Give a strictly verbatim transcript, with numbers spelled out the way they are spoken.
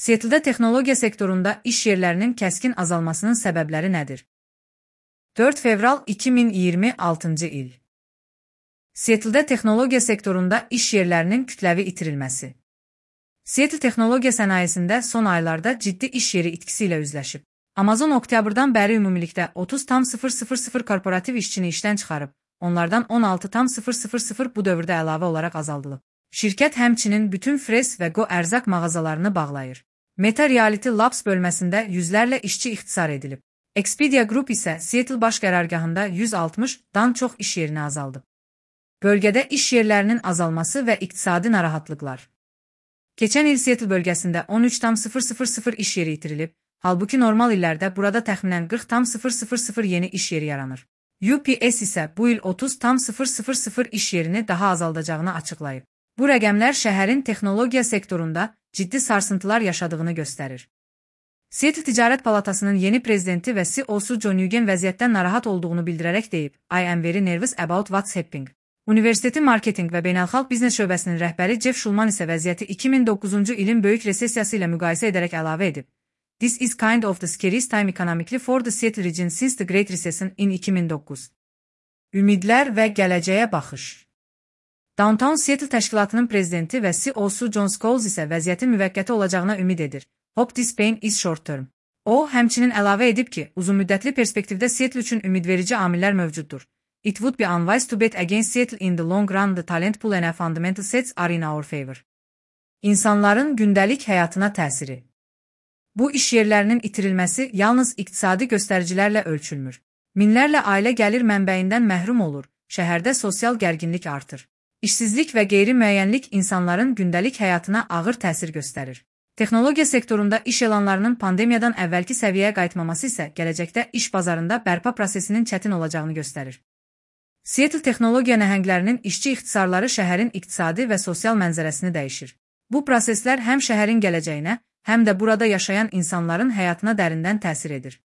Seattle-də texnologiya sektorunda iş yerlərinin kəskin azalmasının səbəbləri nədir? dörd fevral iki min iyirmi altıncı il. Seattle-də texnologiya sektorunda iş yerlərinin kütləvi itirilməsi. Seattle texnologiya sənayesində son aylarda ciddi iş yeri itkisi ilə üzləşib. Amazon oktyabrdan bəri ümumilikdə otuz min korporativ işçini işdən çıxarıb, onlardan on altı min bu dövrdə əlavə olaraq azaldılıb. Şirkət həmçinin bütün Fresh və Go ərzaq mağazalarını bağlayır. Meta Reality Labs bölməsində yüzlərlə işçi ixtisar edilib. Expedia Group isə Seattle baş qərargahında yüz altmışdan çox iş yerini azaldıb. Bölgədə iş yerlərinin azalması və iqtisadi narahatlıqlar. Keçən il Seattle bölgəsində on üç min iş yeri itirilib, halbuki normal illərdə burada təxminən qırx min yeni iş yeri yaranır. U P S isə bu il otuz min iş yerini daha azaldacağını açıqlayıb. Bu rəqəmlər şəhərin texnologiya sektorunda ciddi sarsıntılar yaşadığını göstərir. Seattle Ticarət Palatasının yeni prezidenti və C E O'su John Nugent vəziyyətdən narahat olduğunu bildirərək deyib, I am very nervous about what's happening. Universitetin marketinq və beynəlxalq biznes şöbəsinin rəhbəri Jeff Schulman isə vəziyyəti iki min doqquzuncu ilin böyük resessiyası ilə müqayisə edərək əlavə edib. This is kind of the scariest time economically for the Seattle region since the Great Recession in iki min doqquz. Ümidlər və gələcəyə baxış. Downtown Seattle təşkilatının prezidenti və C E O'su John Scholes isə vəziyyətin müvəqqəti olacağına ümid edir. Hope this pain is short term. O, həmçinin əlavə edib ki, uzunmüddətli perspektivdə Seattle üçün ümidverici amillər mövcuddur. It would be unwise to bet against Seattle in the long run. The talent pool and fundamental sets are in our favor. İnsanların gündəlik həyatına təsiri. Bu iş yerlərinin itirilməsi yalnız iqtisadi göstəricilərlə ölçülmür. Minlərlə ailə gəlir mənbəyindən məhrum olur, şəhərdə sosial gərginlik artır. İşsizlik və qeyri-müəyyənlik insanların gündəlik həyatına ağır təsir göstərir. Texnologiya sektorunda iş elanlarının pandemiyadan əvvəlki səviyyəyə qayıtmaması isə gələcəkdə iş bazarında bərpa prosesinin çətin olacağını göstərir. Seattle texnologiya nəhənglərinin işçi ixtisarları şəhərin iqtisadi və sosial mənzərəsini dəyişir. Bu proseslər həm şəhərin gələcəyinə, həm də burada yaşayan insanların həyatına dərindən təsir edir.